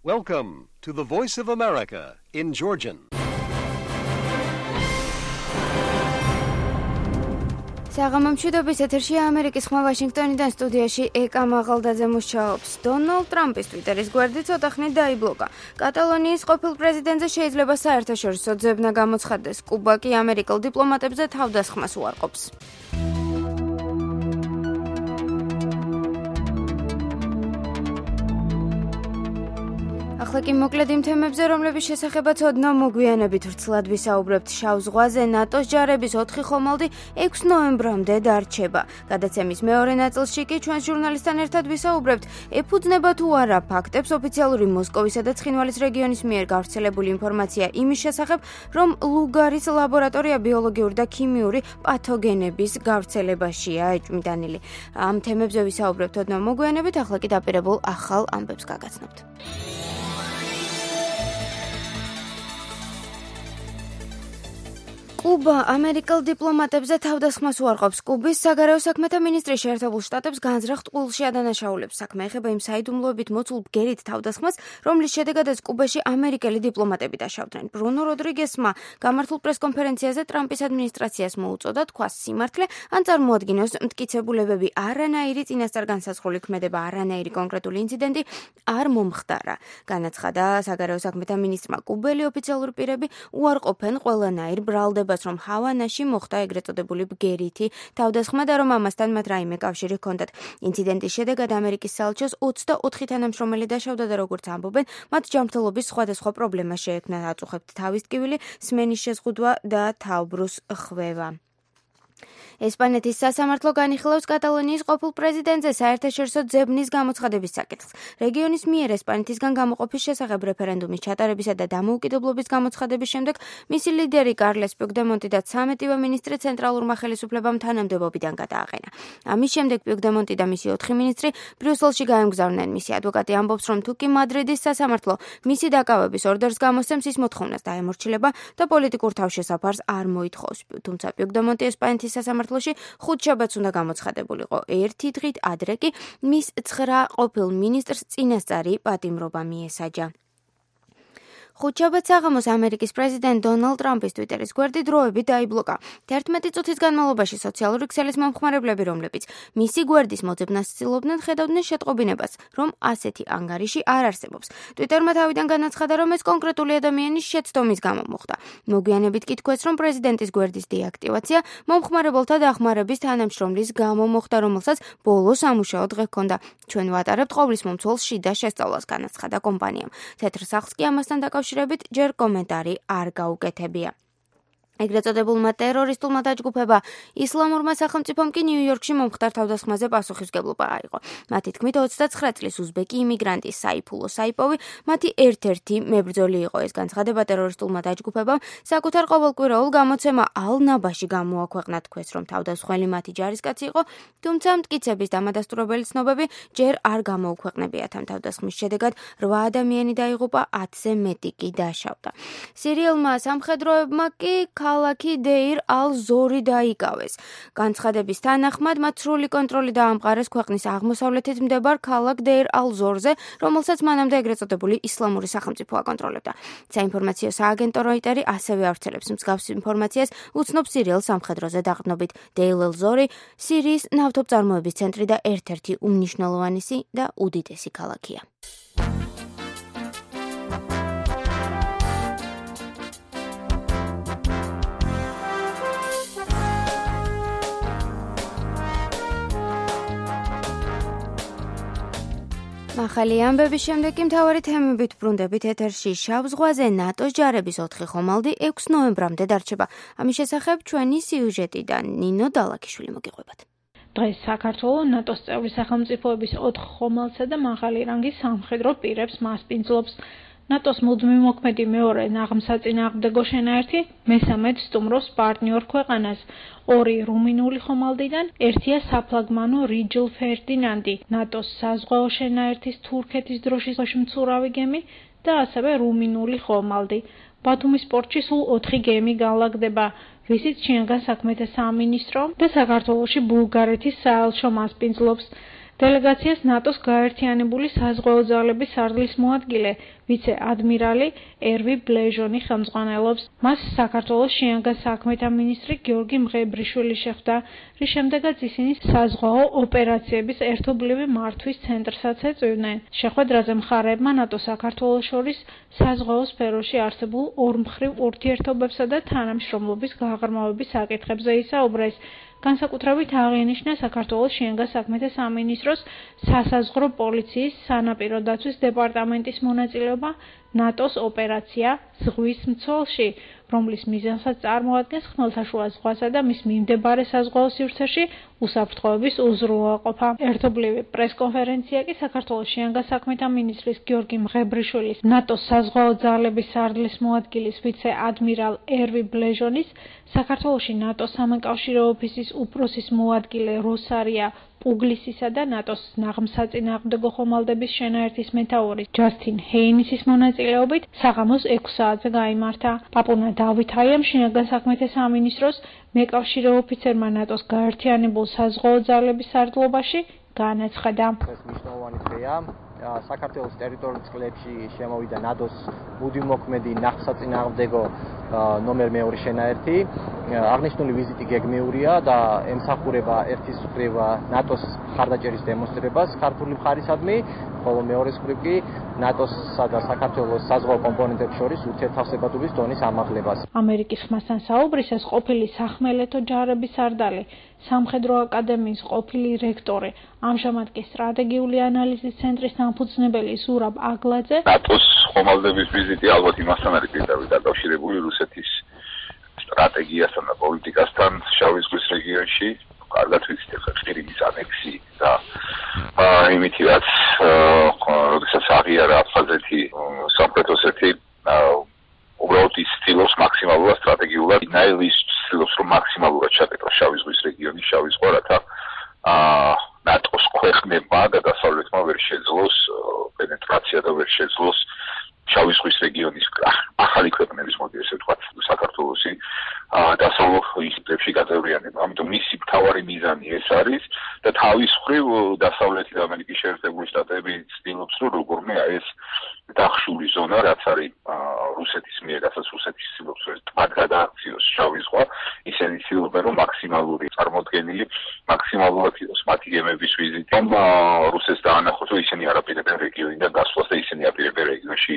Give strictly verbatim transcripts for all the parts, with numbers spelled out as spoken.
Welcome to the Voice of America in Georgian. საღამომშვიდობის ეთერშია ამერიკის ხმა ვაშინგტონიდან სტუდიაში ეკა მაღალდაძე მუშაობს. დონალდ ტრამპის ტვიტერის გვერდი ცოტა ხნით დაიბლოკა. კატალონიის ყოფილ პრეზიდენტზე შეიძლება საერთაშორისო ძებნა გამოცხადდეს. კუბა კი ამერიკელ დიპლომატებზე თავდასხმას უარყოფს. ახლა კი მოკლედ იმ თემებზე, რომლების შესახებაც ოდნავ მოგვიანებით ვრცლად ვისაუბრებთ. შავ ზღვაზე ნატოს ჯარების ოთხი ხომალდი ექვსი ნოემბრამდე დარჩება. გადაცემის მეორე ნაწილში კი ჩვენს ჟურნალისტთან ერთად ვისაუბრებთ, ეფუძნება თუ არა ფაქტებს ოფიციალური მოსკოვისა და ცხინვალის რეგიონის მიერ გავრცელებული ინფორმაცია იმის შესახებ, რომ ლუგარის ლაბორატორია ბიოლოგიური და ქიმიური პათოგენების გავრცელებაშია ეჭვმიტანილი. ამ თემებზე ვისაუბრებთ ოდნავ მოგვიანებით, ახლა კი დაპირებულ ახალ ამბებს გაგაცნობთ. კუბა ამერიკელ დიპლომატებზე თავდასხმას უარყოფს. კუბის საგარეო საქმეთა მინისტრი შეერთებულ შტატებს განზრახ ტყუილში ადანაშაულებს. საქმე ეხება იმ საიდუმლოებით მოცულ ბგერით თავდასხმას, რომლის შედეგადაც კუბაში ამერიკელი დიპლომატები დაშავდნენ. ბრუნო როდრიგესმა გამართულ პრესკონფერენციაზე ტრამპის ადმინისტრაციას მოუწოდა თქვას სიმართლე, ან წარმოადგინოს მტკიცებულებები, არანაირი წინასწარ განსაზღვრული ქმედება, არანაირი კონკრეტული ინციდენტი არ მომხდარა. განაცხადა საგარეო საქმეთა მინისტრმა, კუბელი ოფიციალური პირები უარყოფენ ყველანაირ ბრალდებას, რომ ჰავანაში მოხდა ეგრეთ წოდებული ბგერითი თავდასხმა და რომ ამასთან მათ რაიმე კავშირი ჰქონდათ. ინციდენტის შედეგად ამერიკის საელჩოს ოცდაოთხი თანამშრომელი დაშავდა და როგორც ამბობენ, მათ ჯანმრთელობის სხვადასხვა პრობლემა შეექმნა, აწუხებთ თავის ტკივილი, სმენის შეზღუდვა და თავბრუს ხვევა. ესპანეთის სასამართლო განიხილავს კატალონიის ყოფილ პრეზიდენტზე საერთაშორისო ძებნის გამოცხადების საკითხს. რეგიონის მიერ ესპანეთისგან გამოყოფის შესახებ რეფერენდუმის ჩატარებისა და დამოუკიდებლობის გამოცხადების შემდეგ მისი ლიდერი კარლეს პუიგდემონტი და ცამეტივე მინისტრი ცენტრალურმა ხელისუფლებამ თანამდებობიდან გადააყენა. ამის შემდეგ პუიგდემონტი და მისი ოთხი მინისტრი ბრიუსელში გაემგზავრნენ. მისი ადვოკატი ამბობს, რომ თუ კი მადრიდის სასამართლო მისი დაკავების ორდერს გამოსცემს, ის მოთხოვნას დაემორჩილება და პოლიტიკურ თავშესაფარს არ მოითხოვს. თუმცა პუიგდემონტი ესპანეთის სასამართლოში ხუთშაბათს უნდა გამოცხადებულიყო. ერთი დღით ადრე კი მის ცხრა ყოფილ მინისტრს წინასწარი პატიმრობა მიესაჯა. ხუთშაბათს საღამოს ამერიკის პრეზიდენტ დონალდ ტრამპის ტვიტერის გვერდი დროებით დაიბლოკა. თერთმეტი წუთის განმავლობაში სოციალური ქსელის მომხმარებლები, რომლებიც მისი გვერდის მოძებნას ცდილობდნენ, ხედავდნენ შეტყობინებას, რომ ასეთი ანგარიში არ არსებობს. ტვიტერმა თავიდან განაცხადა, რომ ეს კონკრეტული ადამიანის შეცდომის გამო მოხდა. მოგვიანებით კი თქვეს, რომ პრეზიდენტის გვერდის დეაქტივაცია მომხმარებელთა დახმარების თანამშრომლის გამო მოხდა, რომელსაც ბოლო სამუშაო დღე ჰქონდა. ჩვენ ვატარებთ ყოვლის მომცველს შიდა შესწავლას, განაცხადა კომპანიამ. თეთრ სახლს კი ამასთან დაკავშირებით ჯერ კომენტარი არ გაუკეთებია. ეგრეთ წოდებულმა ტერორისტულმა დაჯგუფება ისლამურმა სახელმწიფომ კი ნიუ-იორკში მომხდარ თავდასხმაზე პასუხისმგებლობა აიღო. მათი თქმით, ოცდაცხრა წლის უზბეკი იმიგრანტი საიფულო საიპოვი მათი ერთ-ერთი მებრძოლი იყო. ეს განცხადება ტერორისტულმა დაჯგუფებამ საკუთარ ყოველკვირეულ გამოცემა ალ-ნაბაში გამოაქვეყნა, თქვეს, რომ თავდასხმელი მათი ჯარისკაცი იყო, თუმცა მტკიცების დამადასტურებელი ცნობები ჯერ არ გამოუქვეყნებიათ. ამ თავდასხმის შედეგად რვა ადამიანი დაიღუპა, ათზე მეტი კი დაშავდა. სირიელმა სამხედროებმა კი ქალაქი დეირ ალ-ზორი დაიკავეს. განცხადების თანახმად მათ სრული კონტროლი დაამყარეს ქვეყნის აღმოსავლეთით მდებარ ქალაქ დეირ ალ-ზორზე, რომელსაც მანამდე ეგრეთ წოდებული ისლამური სახელმწიფო აკონტროლებდა. საინფორმაციო სააგენტო როიტერი ასევე ავრცელებს მსგავს ინფორმაციას, უცნობს სირიელ სამხედროზე დაყრდნობით. დეირ ალ-ზორი სირიის ნავთობწარმოების ცენტრი და ერთ-ერთი უმნიშვნელოვანესი და უდიდესი ქალაქია. ახალი ამბების შემდეგ კი მთავარი თემებით ბრუნდებით ეთერში. შავ ზღვაზე ნატოს ჯარების ოთხი ხომალდი ექვსი ნოემბრამდე დარჩება. ამის შესახებ ჩვენი სიუჟეტიდან ნინო დალაქიშვილი მოგიყვებათ. დღეს საქართველოს ნატოს წევრი სახელმწიფოების ოთხ ხომალდსა და მაღალი რანგის სამხედრო პირებს მასპინძლობს. ნატოს მუდმივ მოქმედი მეორე ნაღმსაწინააღმდეგო შენაერთი მესამედ სტუმრობს პარტნიორ ქვეყანას. ორი რუმინული ხომალდიდან ერთია საფლაგმანო რიჯლ ფერდინანდი, ნატოს საზღვაო შენაერთის თურქეთის დროშის მცურავი გემი და ასევე რუმინული ხომალდი. ბათუმის პორტში სულ ოთხი გემი განლაგდება, რისიც ჩინგან საქმეთა სამინისტრო და საქართველოში ბულგარეთის საელჩო მასპინძლობს. დელეგაციას ნატოს გაერთიანებული საზღვაო ძალების სარდლის მოადგილე ვიცე-ადმირალი ერვი ბლეჟონი ხელმძღვანელობს. მას საქართველოს შინაგან საქმეთა მინისტრი გიორგი მღებრიშვილი შეხვდა, რის შემდეგაც ისინი საზღვაო ოპერაციების ერთობლივი მართვის ცენტრსაც ეწვივნენ. შეხვედრაზე მხარეებმა ნატო-საქართველოს შორის საზღვაო სფეროში არსებულ ორმხრივ ურთიერთობებსა და თანამშრომლობის გაღრმავების საკითხებზე ისაუბრეს. განსაკუთრებით აღინიშნა საქართველოს შინაგან საქმეთა სამინისტროს სასაზღვრო პოლიციის სანაპირო დაცვის დეპარტამენტის მონაწილეობა ნატოს ოპერაცია ზღვის მცველში, რომლის მიზანსაც წარმოადგენს ხმელთაშუა ზღვასა და მის მიმდებარე საზღვაო სივრცეში უსაფრთხოების უზრუნველყოფა. ერთობლივი პრესკონფერენცია კი საქართველოს შინაგან საქმეთა მინისტრის გიორგი მღებრიშვილის, ნატოს საზღვაო ძალების სარდლის მოადგილის ვიცე-ადმირალ ერვი ბლეჟონის, საქართველოში ნატოს სამეკავშირო ოფისის უფროსის მოადგილე როსარია პუგლისისა და ნატოს ნაღმსაწინააღმდეგო ხომალდების შენაერთის მეთაურის ჯასტინ ჰეინისის მონაწილეობით საღამოს ექვს საათზე გაიმართა. პაპუნა დავითაიამ შინაგან საქმეთა სამინისტროს მეკავშირე ოფიცერმა ნატოს გაერთიანებულ საზღვაო ძალების სარდლობაში განაცხადა. ეს მნიშვნელოვანი დღეა. საქართველოს ტერიტორიულ წყლებში შემოვიდა ნატოს მუდმივმოქმედი ნაღმსაწინააღმდეგო ნომერ მეორე შენაერთი. აღნიშნული ვიზიტი გეგმეურია და ემსახურება ერთის მხრივ ნატოს მხარდაჭერის დემონსტრირებას ქართული მხარისადმი, ხოლო მეორე მხრივ კი ნატოსსა და საქართველოს საზღვაო კომპონენტებს შორის ურთიერთთავსებადობის დონის ამაღლებას. ამერიკის ხმასთან საუბრისას ყოფილი სახმელეთო ჯარების სარდალი, სამხედრო აკადემიის ყოფილი რექტორი, ამჟამად კი სტრატეგიული ანალიზის ცენტრის დამფუძნებელი ზურაბ აგლაძე ნატოს ხომალდების ვიზიტი ალბათ იმასთან არის პირდაპირ დაკავშირებული რუსეთის სტრატეგიასთან და პოლიტიკასთან შავი ზღვის რეგიონში. კარგად ვიცით ახლა ყირიმის ანექსი და იმითი რაც როდესაც აღიარა აფხაზეთი სამხრეთ ოსეთი უბრალოდ ის ცდილობს მაქსიმალურად სტრატეგიულად ნაილის ცდილობს რომ მაქსიმალურად ჩაკეტოს შავი ზღვის რეგიონი შავი ზღვა რათა ნატოს ქვეყნებმა და დასავლეთმა ვერ შეძლოს პენეტრაცია და ვერ შეძლოს შავი ზღვის რეგიონის ახალი ქვეყნების მოდი ესე ვთქვათ საქართველოსი დასავლურ ისრებში გაწევრიანება. ამიტომ მისი მთავარი მიზანი ეს არის და თავის მხრივ დასავლეთი და ამერიკის შეერთებული შტატები ცდილობს რომ როგორმე ეს დახშული ზონა რაც არის რუსეთის მიერ, რასაც რუსეთის ცდილობს რომ ტბად გადააქციოს შავი ზღვა, ისინი ცდილობენ რომ მაქსიმალური წარმოდგენილი მაქსიმალურად იყოს მათი გემების ვიზიტი. რომ რუსეთს დაანახოს რომ ისინი არ აპირებენ რეგიონიდან გასვლას და ისინი აპირებენ რეგიონში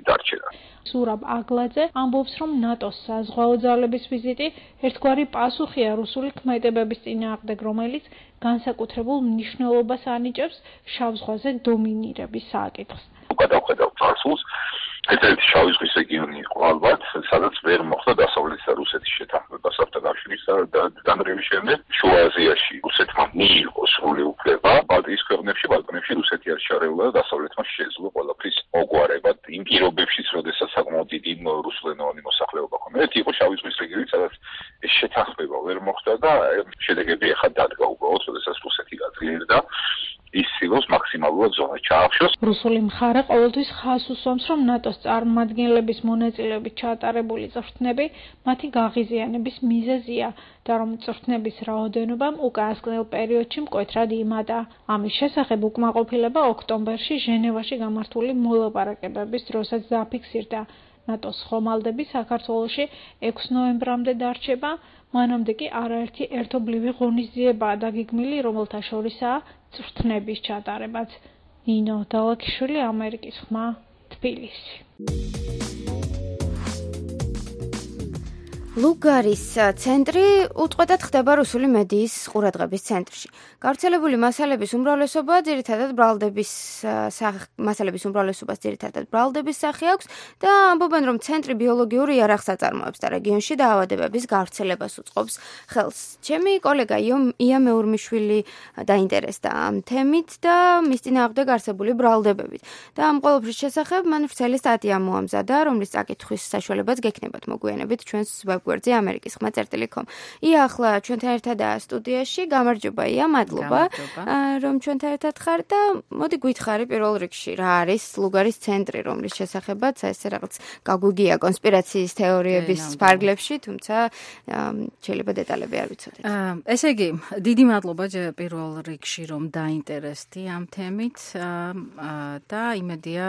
დარჩენა. ზურაბ აგლაძე ამბობს რომ ნატოს საზღვაო ძალების ვიზიტი ერთგვარი პასუხია რუსული ქმედებების წინააღმდეგ, რომელიც განსაკუთრებულ მნიშვნელობას ანიჭებს შავ ზღვაზე დომინირების საკითხს. გადავხედავ წარსულს, ერთ-ერთი შავი ზღვის რეგიონი იყო ალბათ, სადაც ვერ მოხდა დასავლეთის და რუსეთის შეთანხმება საბჭოთა და დანგრევის შემდეგ. შუა აზიაში რუსეთმა მიიღო სრული უფლება, ბალტიის ქვეყნებში, ბალკანებში რუსეთი არ ჩარეულა და დასავლეთმა შეძლო ყველაფრის მოგვარება იმ პირობებშიც, როდესაც საკმაოდ დიდი რუსულენოვანი მოსახლეობა ჰქონდა. ერთი იყო შავი ზღვის რეგიონი, სადაც ეს შეთანხმება ვერ მოხდა და შედეგები ახლა დადგა უბრალოდ, როდესაც რუსეთი გაძლიერდა. ის ცდილობს მაქსიმალურად ზონა ჩაახშოს. რუსული მხარე ყოველთვის ხაზს უსვამს, რომ ნატოს წარმომადგენლების მონაწილეობით ჩაატარებული წვრთნები მათი გაღიზიანების მიზეზია და რომ წვრთნების რაოდენობამ უკანასკნელ პერიოდში მკვეთრად იმატა. ამის შესახებ უკმაყოფილება ოქტომბერში ჟენევაში გამართული მოლაპარაკებების დროსაც დაფიქსირდა. ნატოს ხომალდები საქართველოში ექვსი ნოემბრამდე დარჩება, მანამდე კი არაერთი ერთობლივი ღონისძიებაა დაგეგმილი, რომელთა შორისაა წვრთნების ჩატარებაც. ნინო დალაქიშვილი, ამერიკის ხმა, თბილისი. ლუგარის ცენტრი უწყვეტად ხდება რუსული მედიის ყურადღების ცენტრში. გავრცელებული მასალების უმრავლესობა ძირითადად ბრალდების მასალების უმრავლესობას ძირითადად ბრალდების სახე აქვს და ამბობენ, რომ ცენტრი ბიოლოგიური იარაღს აწარმოებს და რეგიონში დაავადებების გავრცელებას უწყობს ხელს. ჩემი კოლეგა ია მეურმიშვილი დაინტერესდა ამ თემით და მის წინააღმდეგ არსებული ბრალდებებით. და ამ ყოველფრის შესახებ მან ვრცელი სტატია მოამზადა, რომლის წაკითხვის საშუალებაც გექნებათ მოგვიანებით ჩვენს ვებ გვერდზე ამერიკის ხმა წერტილი com. ია ახლა ჩვენთან ერთადაა სტუდიაში. გამარჯობა ია, მადლობა რომ ჩვენთან ერთად ხარ და მოდი გითხარი პირველ რიგში რა არის ლუგარის ცენტრი, რომლის შესახებაც ესე რაღაც გაგვიგია კონსპირაციის თეორიების ფარგლებში, თუმცა შეიძლება დეტალები არ ვიცოდეთ. ესე იგი, დიდი მადლობა პირველ რიგში რომ დაინტერესდი ამ თემით და იმედია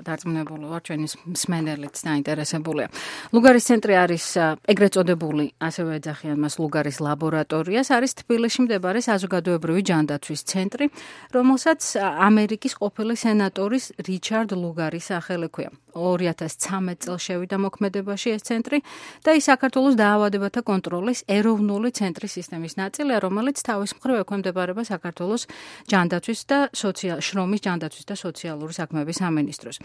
დარწმუნებული ვარ ჩვენი მსმენელიც დაინტერესებულია. ლუგარის ცენტრი არის ეგრეთ წოდებული, ასევე ეძახიან მას ლუგარის ლაბორატორიას, არის თბილისში მდებარე საზოგადოებრივი ჯანდაცვის ცენტრი, რომელსაც ამერიკის ყოფილი სენატორის რიჩარდ ლუგარის სახელი ჰქვია. ორი ათას ცხრამეტ წელს შევიდა მოქმედებაში ეს ცენტრი და ის საქართველოს დაავადებათა კონტროლის ეროვნული ცენტრის სისტემის ნაწილია, რომელიც თავის მხრივ ექვემდებარება საქართველოს ჯანდაცვის და შრომის ჯანდაცვის და სოციალური საქმეების სამინისტროს.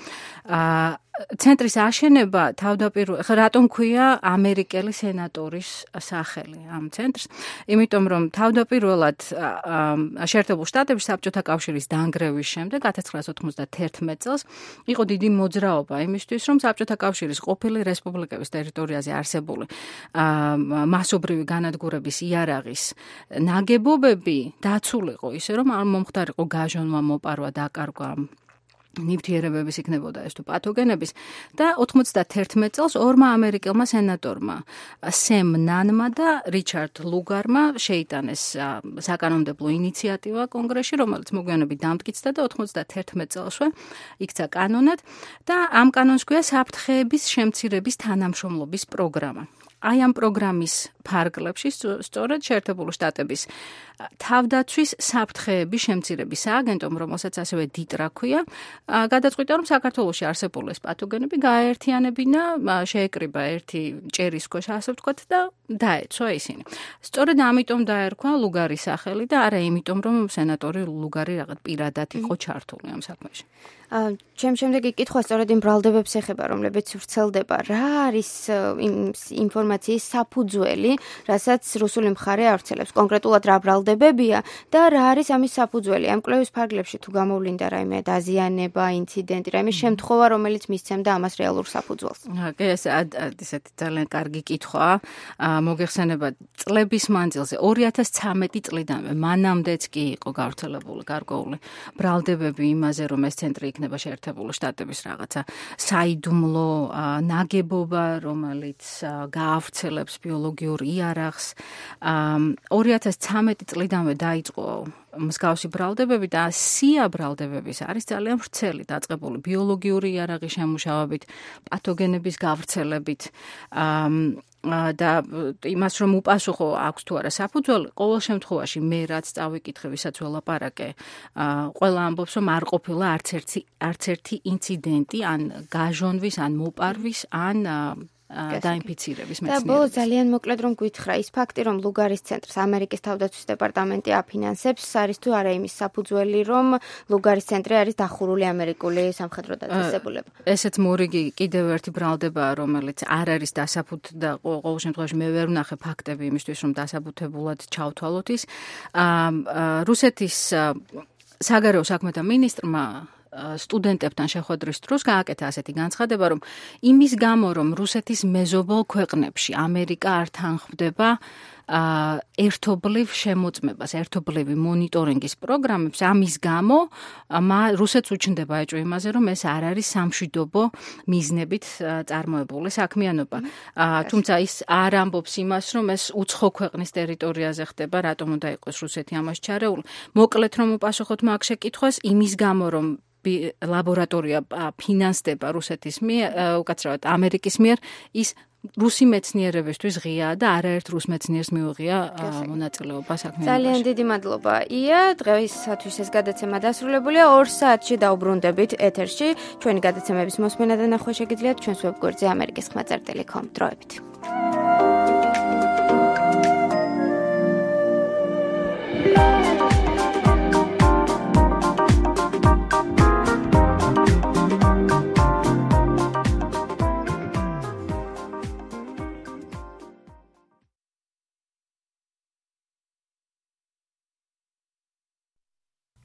ცენტრის აშენება თავდაპირველად რატომ ქვია ამერიკელი სენატორის სახელი ამ ცენტრს? იმიტომ რომ თავდაპირველად შეერთებულ შტატებში საბჭოთა კავშირის დანგრევის შემდეგ ათას ცხრაასა ოთხმოცდაათი წელს იყო დიდი მოძრაობა იმისთვის, რომ საბჭოთა კავშირის ყოფილი რესპუბლიკების ტერიტორიაზე არსებული მასობრივი განადგურების იარაღის ნაგებობები დაცულიყო ისე, რომ არ მომხდარიყო გაჟონვა, მოპარვა, დაკარგვა ნივთიერებების იქნებოდა ეს თუ პათოგენების და ოთხმოცდაათი წელს ორმა ამერიკელმა სენატორმა სემ ნანმა და რიჩარდ ლუგარმა შეიტანეს საკანონმდებლო ინიციატივა კონგრესში, რომელიც მოგვიანებით დამტკიცდა და ოთხმოცდაათი წელსვე იქცა კანონად და ამ კანონს ქვია საფრთხეების შემცირების თანამშრომლობის პროგრამა. აი ამ პროგრამის ფარგლებში სწორედ შეერთებული შტატების თავდაცვის საფრთხეების შემცირების სააგენტომ, რომელსაც ასევე დიტრა ქვია, გადაწყვიტა, რომ საქართველოში არსებული ეს პათოგენები გააერთიანებინა, შეეკრიბა ერთი ჭერის ქვეშ, ასე ვთქვათ, და დაეცვა ისინი. სწორედ ამიტომ დაერქვა ლუგარის სახელი და არა იმიტომ, რომ სენატორი ლუგარი რაღაც პირადად იყო ჩართული ამ საქმეში. ჩემ შემდეგი კითხვა სწორედ იმ ბრალდებებს ეხება, რომლებიც ვრცელდება. რა არის ინფორმაციის საფუძველი, რასაც რუსული მხარე ავრცელებს? კონკრეტულად რა ბრალდებებია და რა არის ამის საფუძველი? ამ კვლევის ფარგლებში თუ გამოვლინდა რაიმე დაზიანება, ინციდენტი, რაიმე შემთხვევა, რომელიც მისცემდა ამას რეალურ საფუძველს? კი, ეს ესეთი ძალიან კარგი კითხვაა. მოგეხსენება წლების მანძილზე ორი ათას ცხრამეტი წლიდანვე მანამდეც კი იყო გავრცელებული გარკვეული ბრალდებები იმაზე, რომ ეს ცენტრი იქნება შეერთებული შტატების რაღაცა საიდუმლო ნაგებობა, რომელიც გაავრცელებს ბიოლოგიურ იარაღს. ორი ათას ცხრამეტი წლიდანვე დაიწყო მსგავსი ბრალდებები და სია ბრალდებების არის ძალიან ვრცელი, დაწყებული ბიოლოგიური იარაღის შემუშავებით, პათოგენების გავრცელებით და იმას რომ უპასუხო აქვს თუ არა საფუძველი, ყოველ შემთხვევაში მე რაც წავიკითხე, ვისაც ველაპარაკე, ყველა ამბობს, რომ არ ყოფილა არც ერთი არც ერთი ინციდენტი, ან გაჟონვის, ან მოპარვის, ან დაინფიცირების მეცნიერების. და ბოლო ძალიან მოკლედ რომ გითხრა, ის ფაქტი, რომ ლუგარის ცენტრს ამერიკის თავდაცვის დეპარტამენტი აფინანსებს, არის თუ არა იმის საფუძველი, რომ ლუგარის ცენტრი არის დახურული ამერიკული სამხედრო დაწესებულება? ესეც მორიგი კიდევ ერთი ბრალდებაა, რომელიც არ არის დასაბუთი და ყოველ შემთხვევაში მე ვერ ვნახე ფაქტები იმისთვის, რომ დასაბუთებულად ჩავთვალოთ ის. რუსეთის საგარეო საქმეთა მინისტრმა სტუდენტებთან შეხვედრის დროს გააკეთა ასეთი განცხადება, რომ იმის გამო, რომ რუსეთის მეზობელ ქვეყნებში ამერიკა არ თანხმდება ერთობლივ შემოწმებას, ერთობლივი მონიტორინგის პროგრამებს, ამის გამო რუსეთს უჩნდება ეჭვი იმაზე, რომ ეს არ არის სამშვიდობო მიზნებით წარმოებული საქმიანობა. თუმცა ის არ ამბობს იმას, რომ ეს უცხო ქვეყნის ტერიტორიაზე ხდება, რატომ უნდა იყოს რუსეთი ამაში ჩარეული. მოკლედ რომ უპასუხოთ მაგ შეკითხვას, იმის გამო, რომ ლაბორატორია ფინანსდება რუსეთის მიერ, უკაცრავად ამერიკის მიერ, ის რუსი მეცნიერებისთვის ღიაა და არაერთ რუს მეცნიერს მიუღია მონაწილეობა საქმიანობაში. ძალიან დიდი მადლობა. ია, დღეისათვის ეს გადაცემა დასრულებულია. ორ საათში დაუბრუნდებით ეთერში. ჩვენი გადაცემების მოსმენა და ნახვა შეგიძლიათ ჩვენს ვებგვერდზე ამერიკის ხმა წერტილი com. დროებით.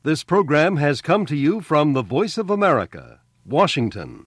This program has come to you from the Voice of America, Washington.